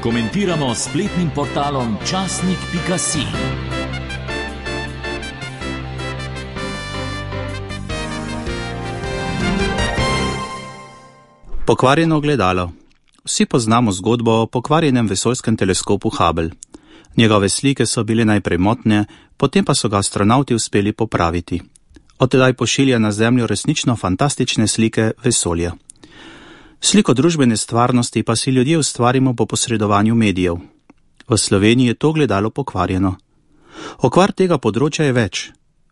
Komentiramo s spletnim portalom časnik.si. Pokvarjeno gledalo. Vsi poznamo zgodbo o pokvarjenem vesoljskem teleskopu Hubble. Njegove slike so bile najprej motne, potem pa so ga astronavti uspeli popraviti. Od tedaj pošilja na Zemljo resnično fantastične slike vesolja. Sliko družbene stvarnosti pa si ljudje ustvarimo po posredovanju medijev. V Sloveniji je to gledalo pokvarjeno. Okvar tega področja je več.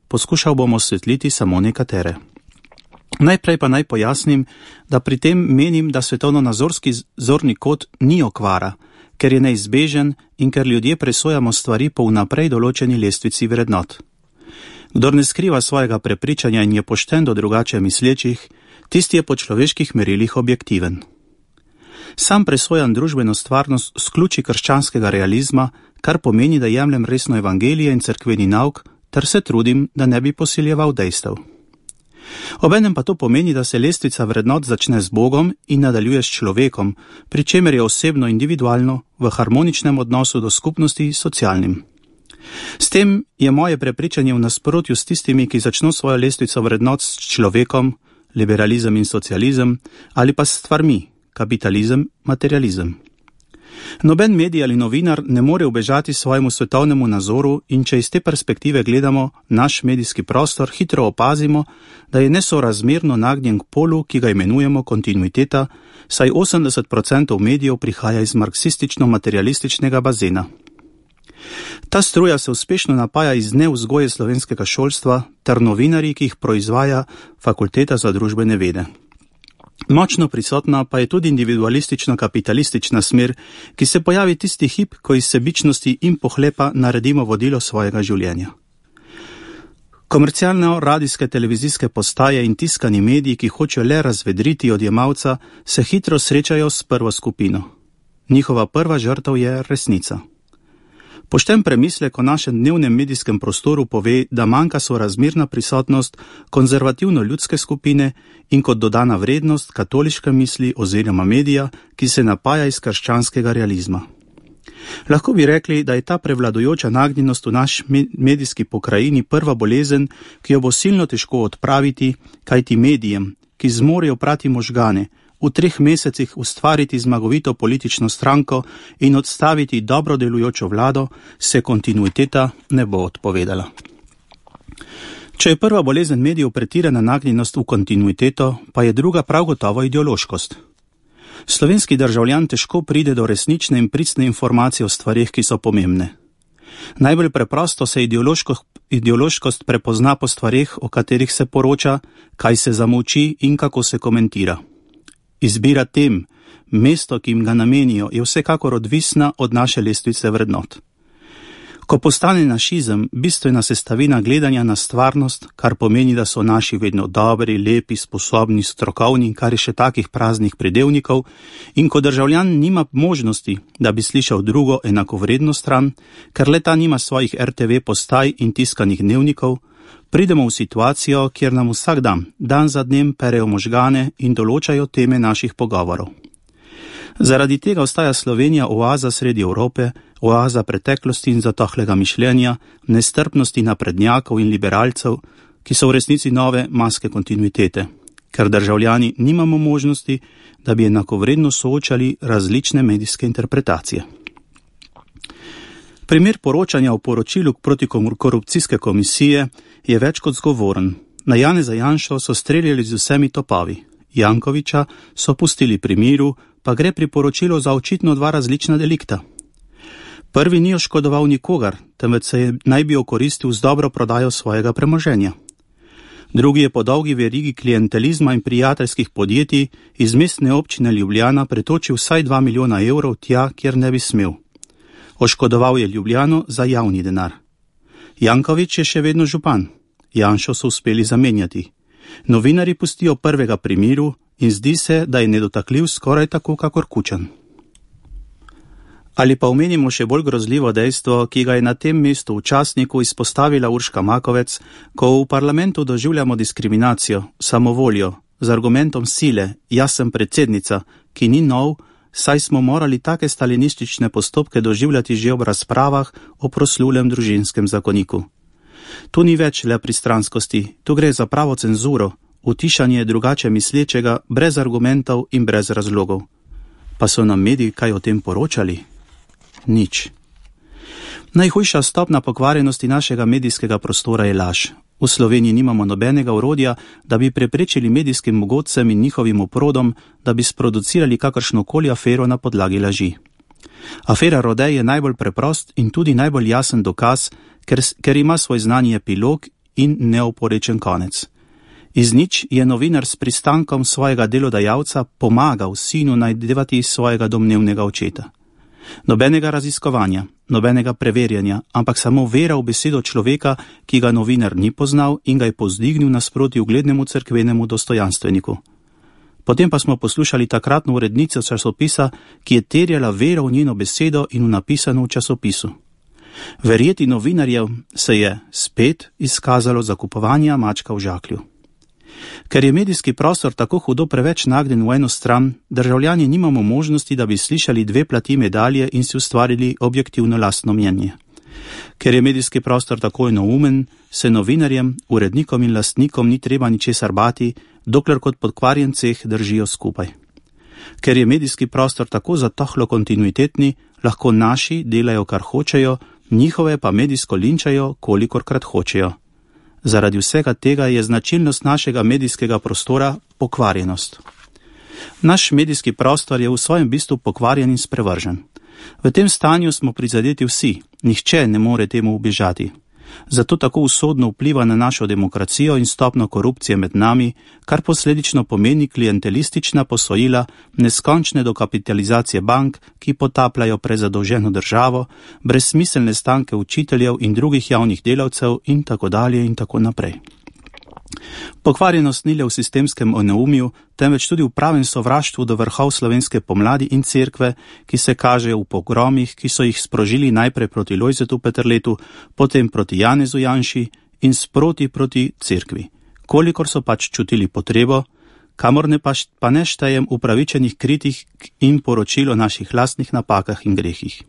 Poskušal bom osvetliti samo nekatere. Najprej pa naj pojasnim, da pri tem menim, da svetovno-nazorski zorni kot ni okvara, ker je neizbežen in ker ljudje presojamo stvari po vnaprej določeni lestvici vrednot. Kdor ne skriva svojega prepričanja in je pošten do drugače mislečih, tisti je po človeških merilih objektiven. Sam presojam družbeno stvarnost s ključi krščanskega realizma, kar pomeni, da jemljem resno evangelije in cerkveni nauk, ter se trudim, da ne bi posiljeval dejstev. Obenem pa to pomeni, da se lestvica vrednot začne z Bogom in nadaljuje s človekom, pri čemer je osebno individualno, v harmoničnem odnosu do skupnosti socialnim. S tem je moje prepričanje v nasprotju s tistimi, ki začno svojo lestvico vrednot s človekom, liberalizem in socializem, ali pa s stvarmi, kapitalizem, materializem. Noben medij ali novinar ne more ubežati svojemu svetovnemu nazoru in če iz te perspektive gledamo naš medijski prostor, hitro opazimo, da je nesorazmerno nagnjen k polu, ki ga imenujemo kontinuiteta, saj 80% medijev prihaja iz marksistično-materialističnega bazena. Ta struja se uspešno napaja iz nevzgoje slovenskega šolstva ter novinarji, ki jih proizvaja Fakulteta za družbene vede. Močno prisotna pa je tudi individualistično-kapitalistična smer, ki se pojavi tisti hip, ko iz sebičnosti in pohlepa naredimo vodilo svojega življenja. Komercialne radijske televizijske postaje in tiskani mediji, ki hočejo le razvedriti odjemalca, se hitro srečajo s prvo skupino. Njihova prva žrtev je resnica. Pošten premislek o našem dnevnem medijskem prostoru pove, da manjka sorazmerna prisotnost konzervativno-ljudske skupine in kot dodana vrednost katoliške misli oziroma medija, ki se napaja iz krščanskega realizma. Lahko bi rekli, da je ta prevladujoča nagnjenost v naš medijski pokrajini prva bolezen, ki jo bo silno težko odpraviti, kajti medijem, ki zmorejo prati možgane, v 3 mesecih ustvariti zmagovito politično stranko in odstaviti dobro delujočo vlado, se kontinuiteta ne bo odpovedala. Če je prva bolezen medijev pretirana nagnjenost v kontinuiteto, pa je druga prav gotovo ideološkost. Slovenski državljan težko pride do resnične in pristne informacije o stvarih, ki so pomembne. Najbolj preprosto se ideološkost prepozna po stvarih, o katerih se poroča, kaj se zamolči in kako se komentira. Izbira tem, mesto, ki jim ga namenijo, je vsekakor odvisna od naše lestvice vrednot. Ko postane našizem bistvena sestavina gledanja na stvarnost, kar pomeni, da so naši vedno dobri, lepi, sposobni, strokovni, kar je še takih praznih pridevnikov, in ko državljan nima možnosti, da bi slišal drugo enakovredno stran, ker le ta nima svojih RTV postaj in tiskanih dnevnikov, pridemo v situacijo, kjer nam vsak dan za dnem perejo možgane in določajo teme naših pogovorov. Zaradi tega ostaja Slovenija oaza sredi Evrope, oaza preteklosti in zatohlega mišljenja, nestrpnosti naprednjakov in liberalcev, ki so v resnici nove maske kontinuitete, ker državljani nimamo možnosti, da bi enakovredno soočali različne medijske interpretacije. Primer poročanja o poročilu protikorupcijske komisije je več kot zgovoren. Na Janeza Janšo so streljali z vsemi topovi. Jankovića so pustili pri miru, pa gre pri poročilu za očitno 2 različna delikta. Prvi ni oškodoval nikogar, temveč se naj bi okoristil z dobro prodajo svojega premoženja. Drugi je po dolgi verigi klientelizma in prijateljskih podjetij iz mestne občine Ljubljana pretočil vsaj 2 milijona evrov tja, kjer ne bi smel. Oškodoval je Ljubljano za javni denar. Janković je še vedno župan. Janšo so uspeli zamenjati. Novinarji pustijo prvega pri miru in zdi se, da je nedotakljiv skoraj tako kakor Kučan. Ali pa omenimo še bolj grozljivo dejstvo, ki ga je na tem mestu v časniku izpostavila Urška Makovec, ko v parlamentu doživljamo diskriminacijo, samovoljo, z argumentom sile, jaz sem predsednica, ki ni nov, saj smo morali take stalinistične postopke doživljati že ob razpravah o proslulem družinskem zakoniku. Tu ni več le pristranskosti, tu gre za pravo cenzuro, utišanje drugače mislečega brez argumentov in brez razlogov. Pa so nam mediji kaj o tem poročali? Nič. Najhujša stopna pokvarjenosti našega medijskega prostora je laž. V Sloveniji nimamo nobenega orodja, da bi preprečili medijskim mogodcem in njihovim oprodom, da bi sproducirali kakršnokoli afero na podlagi laži. Afera Rodej je najbolj preprost in tudi najbolj jasen dokaz, ker ima svoj znani epilog in neoporečen konec. Iz nič je novinar s pristankom svojega delodajalca pomagal sinu najdevati svojega domnevnega očeta. Nobenega raziskovanja, nobenega preverjanja, ampak samo vera v besedo človeka, ki ga novinar ni poznal in ga je povzdignil nasproti uglednemu cerkvenemu dostojanstveniku. Potem pa smo poslušali takratno urednico časopisa, ki je terjala vero v njeno besedo in v napisano v časopisu. Verjeti novinarjev se je spet izkazalo za kupovanja mačka v žaklju. Ker je medijski prostor tako hudo preveč nagnjen v eno stran, državljani nimamo možnosti, da bi slišali dve plati medalje in si ustvarili objektivno lastno mnenje. Ker je medijski prostor tako enoumen, se novinarjem, urednikom in lastnikom ni treba ničesar bati, dokler kot podkvarjen ceh držijo skupaj. Ker je medijski prostor tako zatohlo kontinuitetni, lahko naši delajo kar hočejo, njihove pa medijsko linčajo, kolikorkrat hočejo. Zaradi vsega tega je značilnost našega medijskega prostora pokvarjenost. Naš medijski prostor je v svojem bistvu pokvarjen in sprevržen. V tem stanju smo prizadeti vsi, nihče ne more temu ubežati. Zato tako usodno vpliva na našo demokracijo in stopno korupcije med nami, kar posledično pomeni klientelistična posojila, neskončne dokapitalizacije bank, ki potapljajo prezadolženo državo, brezsmiselne stanke učiteljev in drugih javnih delavcev in tako dalje in tako naprej. Pokvarjenost ni le v sistemskem oneumju, temveč tudi v pravem sovraštvu do vrhov slovenske pomladi in cerkve, ki se kažejo v pogromih, ki so jih sprožili najprej proti Lojzetu Peterletu, potem proti Janezu Janši in sproti proti cerkvi, kolikor so pač čutili potrebo, kamor pa ne štejem upravičenih kritik in poročil o naših lastnih napakah in grehih.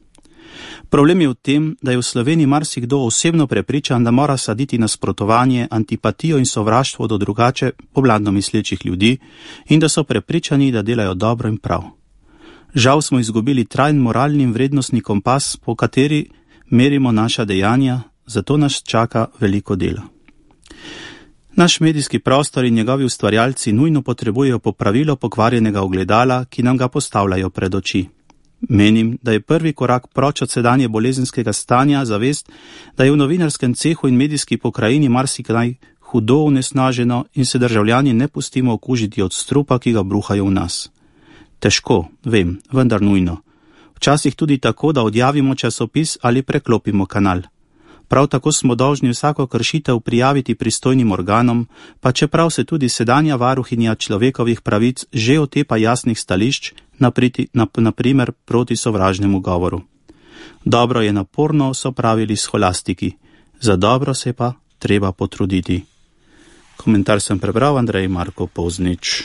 Problem je v tem, da je v Sloveniji marsikdo osebno prepričan, da mora saditi nasprotovanje, antipatijo in sovraštvo do drugače povladno mislečih ljudi in da so prepričani, da delajo dobro in prav. Žal smo izgubili trajen moralni in vrednostni kompas, po kateri merimo naša dejanja, zato nas čaka veliko dela. Naš medijski prostor in njegovi ustvarjalci nujno potrebujejo popravilo pokvarjenega ogledala, ki nam ga postavljajo pred oči. Menim, da je prvi korak proč od sedanje bolezenskega stanja zavest, da je v novinarskem cehu in medijski pokrajini marsikdaj hudo onesnaženo in se državljani ne pustimo okužiti od strupa, ki ga bruhajo v nas. Težko, vem, vendar nujno. Včasih tudi tako, da odjavimo časopis ali preklopimo kanal. Prav tako smo dolžni vsako kršitev prijaviti pristojnim organom, pa čeprav se tudi sedanja varuhinja človekovih pravic že otepa jasnih stališč, naprimer proti sovražnemu govoru. Dobro je naporno sopravili scholastiki, za dobro se pa treba potruditi. Komentar sem prebral, Andrej Marko Poznič.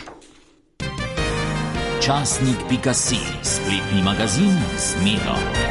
Časnik.si, spletni magazin z Miro.